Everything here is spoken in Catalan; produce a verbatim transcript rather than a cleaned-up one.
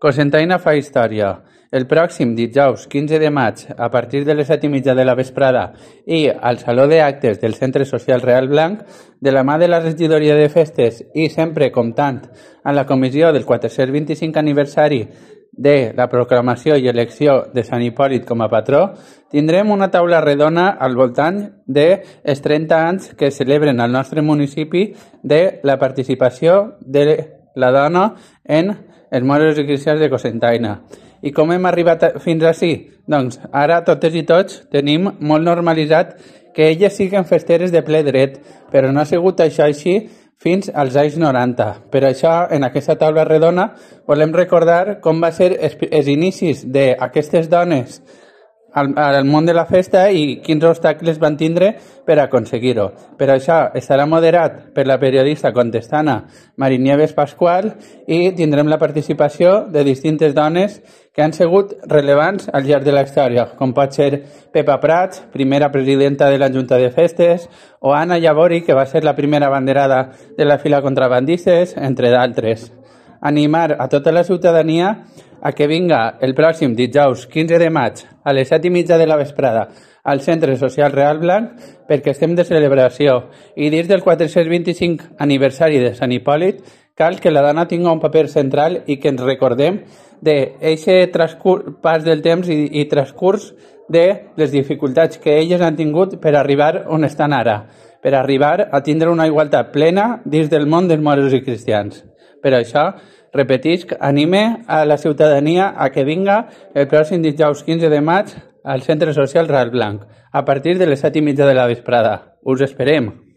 Cocentaina fa història. El pròxim dijous quinze de maig, a partir de les set i mitja de la vesprada i al Saló d'Actes del Centre Social Real Blanc, de la mà de la regidoria de festes i sempre comptant amb la comissió del quatre-cents vint-i-cinc aniversari de la proclamació i elecció de Sant Hipòlit com a patró, tindrem una taula redona al voltant dels trenta anys que celebren al nostre municipi de la participació de la dona en els moros i cristians de Cocentaina. I com hem arribat fins ací? Doncs ara totes i tots tenim molt normalitzat que elles siguen festeres de ple dret, però no ha sigut això així fins als anys noranta. Per això, en aquesta taula redona, volem recordar com va ser els inicis d'aquestes dones al, al món de la festa i quins obstacles van tindre per aconseguir-ho. Per això estarà moderat per la periodista contestana Marinieves Pasqual i tindrem la participació de distintes dones que han sigut rellevants al llarg de la història, com pot ser Pepa Prats, primera presidenta de la Junta de Festes, o Anna Llavori, que va ser la primera abanderada de la fila contrabandistes, entre d'altres. Animar a tota la ciutadania a que vinga el pròxim dijous quinze de maig a les set i mitja de la vesprada al Centre Social Real Blanc perquè estem de celebració i dins del quatre-cents vint-i-cinc aniversari de Sant Hipòlit cal que la dona tingui un paper central i que ens recordem d'aquest pas del temps i, i transcurs de les dificultats que elles han tingut per arribar on estan ara, per arribar a tindre una igualtat plena dins del món dels moros i cristians. Per això, repetisc, anime a la ciutadania a que vinga el pròxim dijous quinze de maig al Centre Social Real Blanc, a partir de les set i mitja de la vesprada. Us esperem!